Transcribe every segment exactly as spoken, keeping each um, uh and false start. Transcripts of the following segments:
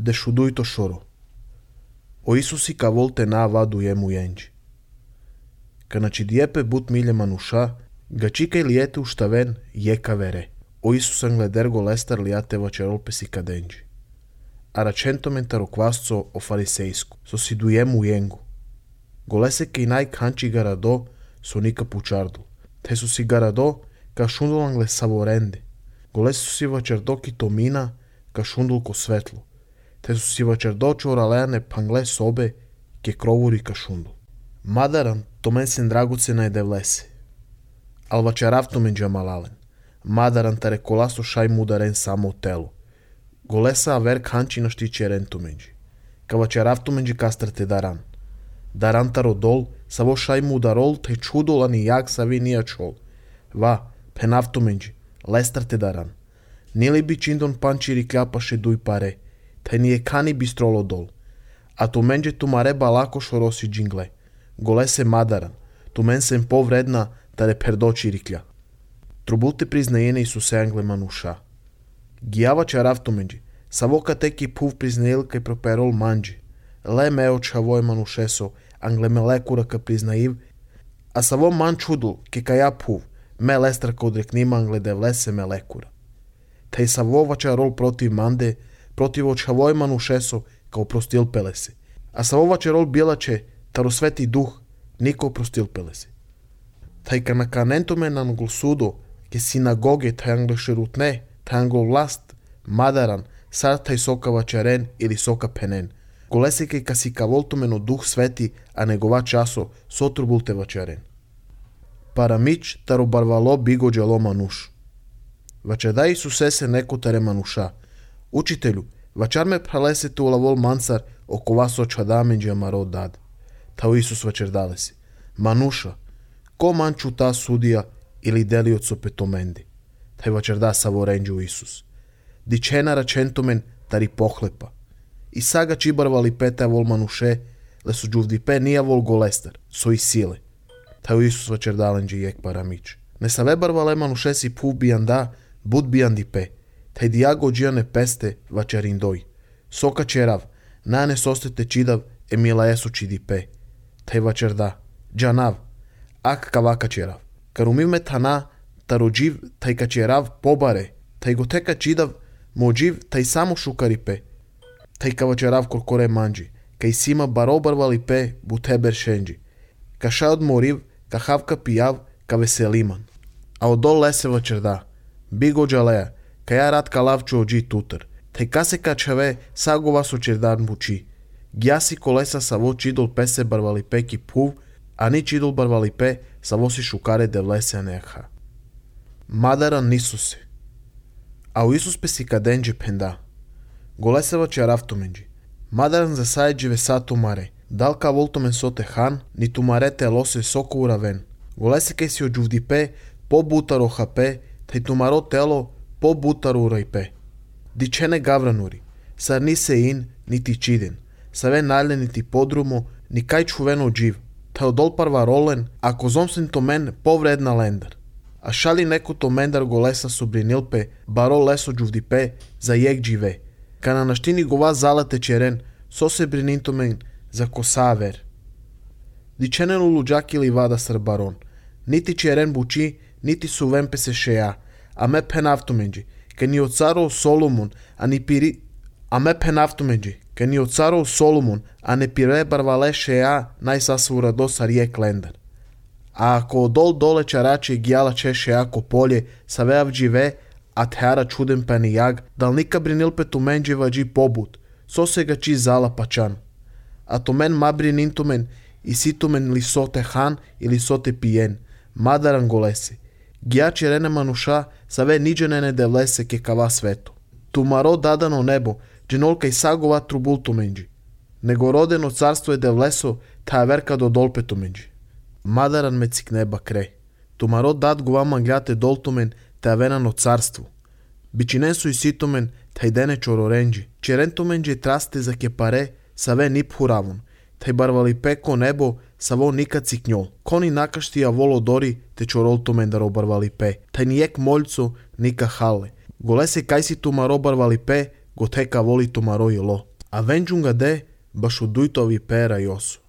de šuduito šoro. O Isusi ca volte na vadu jemu jenđi. Ca naci diepe but milje manuša, gacica iliete uštaven jeka vere. O Isus angledergo lestar liate vacerol pesica denđi. Aracentomen taro kvasco o fariseisku, so si dujemu jengu. Golese que inai canci garado so nica pučardul. Te su si garado ka šundul angle savorende. Golese su si vacerdo ki tomina ka šundul ko svetlo. Te su si vacerdo čoraleane pangle sobe ke krovuri ka šundul. Madaran tomen sen dragucena je devlese. Al vačarav tomen džamalalen. Madaran tare kolaso šaj mudaren samo u telu. Golesa aver canci na știceren tomenji. Ka vačarav tomenji kastrate daran. Daran taro dol, savo šaj mudarol te čudol ani jak savi nija čol. Va, penav tomenji, lestrate daran. Nili bi čindon pančiri kljapaše duj pare, te nije kani bistrolo dol. A tomenje tumare balako šorosi džingle. Golese madaran, tumen sem povredna tare perdoči riklja. Trubulte priznajene Isuse angle manuša. Giava čarav tomenji, savo ka teki puv priznail kaj properol manđi. Le meo čavoj manušeso, angle me lekura ka priznaiv, a savo man čudul, ke ka ja puv, me lestra ka odreknima angle devlese me lekura. Taj savo vačarol protiv mande, protiv očavoj manušeso, ka oprostil pelese. A savo vačarol bilače, taro sveti duh, niko oprostil pelese. Taj ka na kanentome na angol sudo, ke sinagoge taj angle šerutne, taj angol vlast, madaran, sad taj soka vačaren ili soka penen. Golese ke ka si ka voltomeno duh sveti, a negova časo, sotrubulte vačaren. Paramič taro barvalo bigo džalo manuš. Vačeda Isuse se neko tare manuša. Učitelju, vačar me pralese tu lavol mansar oko vas očadamen džamaro dad. Tao Isus vačer dale si. Manuša, ko manču ta sudija ili deli od sopetomendi. Taj vačer da savorenđu Isus. Dičena račentomen tari pohlepa. I saga čibarvali peta vol manuše, le su džuvdipe nija vol golestar, so i sile. Tao Isus vačer dalenđe jek paramič. Ne save barvale manuše si puv bijan da, bud bijan dipe. Taj diago džijane peste vačerin doj. Soka čerav, nane sostete čidav, emila jesu čidipe. Taj vačer da, džanav, ak kavaka čerav. Kar umiv me tana, taro dživ, taj ka čerav pobare, taj go teka čidav, mo dživ, taj samo šukaripe. Taj ka vačerav korkore manđi, kaj sima barobarvali pe, buteber šenđi. Ka šaod moriv, ka havka pijav, ka veseliman. A odol lese vačer da, bigo džaleja, ka ja rad ka lavču ođi tutar. Taj ka se ka čave, sago vas očerdan buči. Gjasi kolesa sa vo čidol pese barvali pe ki puv, a ni čidol barvali pe sa vo si šukare devlese aneha. Madaran nisu se. A u Isus pesi ka denđe penda. Golese vačer avtomenđi. Madaran za sajđe vesato mare. Dal ka voltomen sote han, ni tu marete lose soko uraven. Golese kaj si ođuvdi pe, po butaro hape, taj tumaro telo, po butaro urajpe. Dičene gavranuri, sar ni se in, niti čiden, save nalje niti podrumo, ni kaj čuveno dživ, taj odol parva rolen, ako zomsen to men povredna lendar. A šali neko to mendar golesa subrinilpe, baro leso džuvdipe, za jek džive, ka na naštini gova zalate čeren, so se brinintomen za kosaver. Dičenen uluđak ili vada sar baron, niti čeren buči, niti su vempe se šeja, a me penavtomenđi, ka ni od carov Solomon, a ni piri... A me penavtomenđi, ka ni od carov Solomon, a ne pire barvale šeja, naj sasvu radosa rijek lendar. A ako odol dole čarače gjala češe jako polje, sa veav džive, a teara čuden pani jag, dal nika brinilpe tu menđe vađi pobut, so se ga či zala pačan. A to men ma brinintumen, i situmen li sote han ili sote pijen, madaran golese. Gja čerene manuša, sa ve niđenene devlese ke kava svetu. Tu maro dadano nebo, dženolka i sagova trubultu menđi. Nego rodeno carstvo je devleso, ta verka do dolpetu menđi. Madaran me cik neba kre. Tu maro dad guvama gljate doltumen, ta venano carstvu. Bičinen su i situmen, ta idene čororenđi. Čerentumenđi traste za ke pare, sa ve nip huravun. Taj barvali peko nebo, sa vo nikad ciknjol. Koni nakaštija volo dori, te čorol tomendar obarvali pe. Taj nijek moljco, nika hale. Golese kaj si tu maro barvali pe, go teka voli tu maro jelo. A venđunga de baš u dujtovi pera i osu.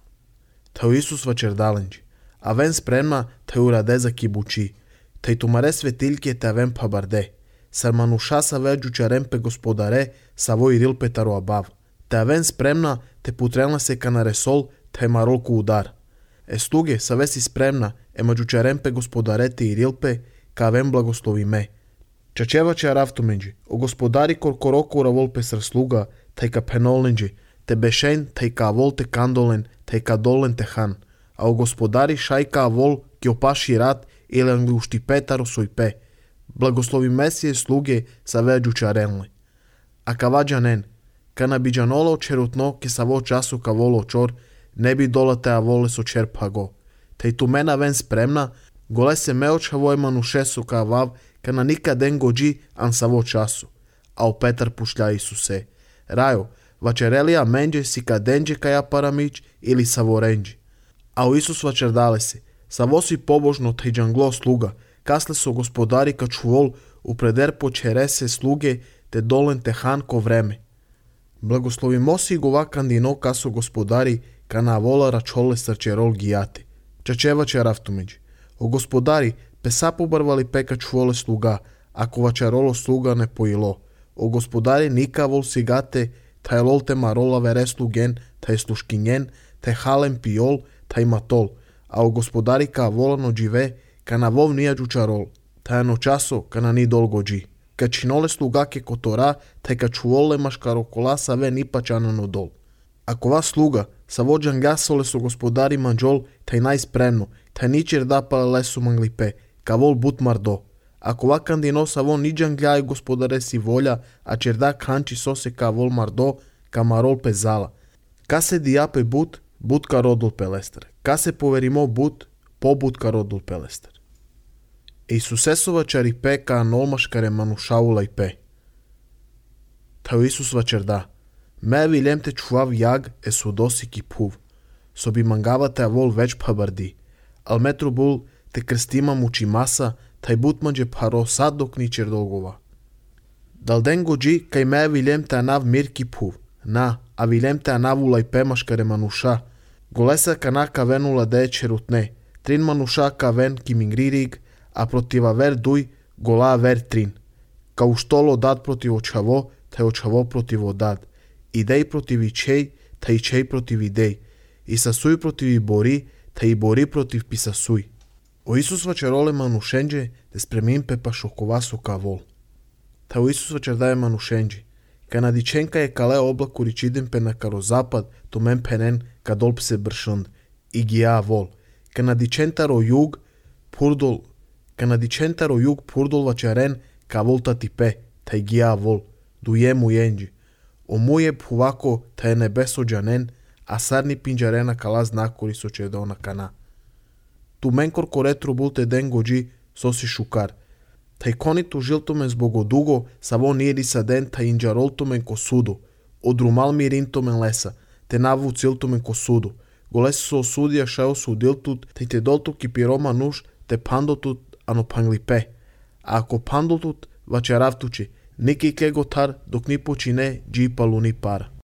Tao Isus vačerdalenđi. A ven spremna te urade za kibuči. Te tumare svetiljke te ven pa barde. Sar manuša sa veđu čarempe gospodare sa voj rilpe taro abav. Te ven spremna te putrelna se kanare sol te marolku udar. E sluge sa vesi spremna e mađu čarempe gospodare te i rilpe ka ven blagoslovi me. Čačeva će araftumenđi. O gospodari korkoroko ura volpe sar sluga taj ka penolnđi. Te bešen taj ka vol te kandolen taj ka dolen te han. A o gospodari šajka vol ki opaši rat ili angliušti petaro soj pe. Blagoslovi mesije sluge sa veđu čarenle. A ka vađanen, ka nabidžanolo čerutno ke sa vo času ka volo čor, ne bi dolate a vole so čerpa go. Te i tu mena ven spremna, gole se meoča voj manušesu ka vav, ka na nikaden gođi an sa vo času. A o Petar pušlja Isuse. Rajo, vačerelija menđe si ka denđe ka ja paramić ili sa vorenđi. A o Isus vačerdale si, sa vosi pobožno taj džanglo sluga, kasle so gospodari ka čuvol u preder počerese sluge te dolen te han ko vreme. Blagoslovi mosi gova kandino kaso gospodari ka na vola račole srčerol gijate. Čačeva će raftumeđi. O gospodari pesa pobarvali peka čuvole sluga, ako vačarolo sluga ne pojilo. O gospodari nika vol sigate, taj lol te marola vere slugen, taj sluškinjen, te halen piol, taj matol. A o gospodari ka volano džive, ka na vov nijađu čarol, taj ano časo ka na ni dol gođi. Ka činole slugake kotora, taj ka čuvole maškarokola sa ve nipa čanano dol. Ako vas sluga, sa vođan gasole su gospodari manđol, taj najspremno, taj ničer da pale lesu manglipe, ka vol but mardo. Ako va kandino sa vo niđan gljaj gospodare si volja, a čer da kanči sose ka vol mardo, ka marol pezala. Ka se dijape but, but ka rodul pelester. Ka se poverimo but, pobut ka rodul pelester. Isusesova čaripe ka anolmaškare manušaula i pe. Tao Isus vačerda. Me viljem te čuvav jag e sudosi ki puv. So bi mangava te avol već pa bardi. Al metru bul te krstima muči masa, taj but manđe paro sad dok ničer dolgova. Dal den gođi kaj me viljem te anav mir ki puv. Na, a viljem te anavula i pe maškare manuša. Golesa kana ka venula de čerutne. Trin manuša ka ven ki mingririg, a protiva ver duj gola ver trin. Ka uštolo dad protiv očavo, taj očavo protiv odad. Idej protiv ičej, taj ičej protiv idej. I sasuj protiv i bori, taj i bori protiv pisasuj. O Isus vačerole manušenđe, te spremim pe pa šokovasu ka vol. Ta o Isus vačerdaje manušenđe. Ka nadičenka je kale oblaku ričidem pe na karo zapad, to men penen ka dolp se bršund. I gija vol. Ka nadičentaro jug, purdol, ka nadičentaro jug purdol vačeren ka volta ti pe, taj gija vol. Duje mu jenđi. O muje puvako ta je nebeso džanen, a sarni pinđarena kala znakori so čedona kana. Tu menkor koretru bulte den gođi sosi šukar. Taj konitu žiltome zbogo dugo sa vo niri sa den ta inđaroltomen ko sudu. Odrumal mi rintomen lesa, te navu ciltomen ko sudu. Golesi so osudija šao su diltut, te te doltu ki piroma nuš, te pandotut ano panglipe. A ako pandotut vače ravtuči, niki kegotar dok ni počine džipa luni para.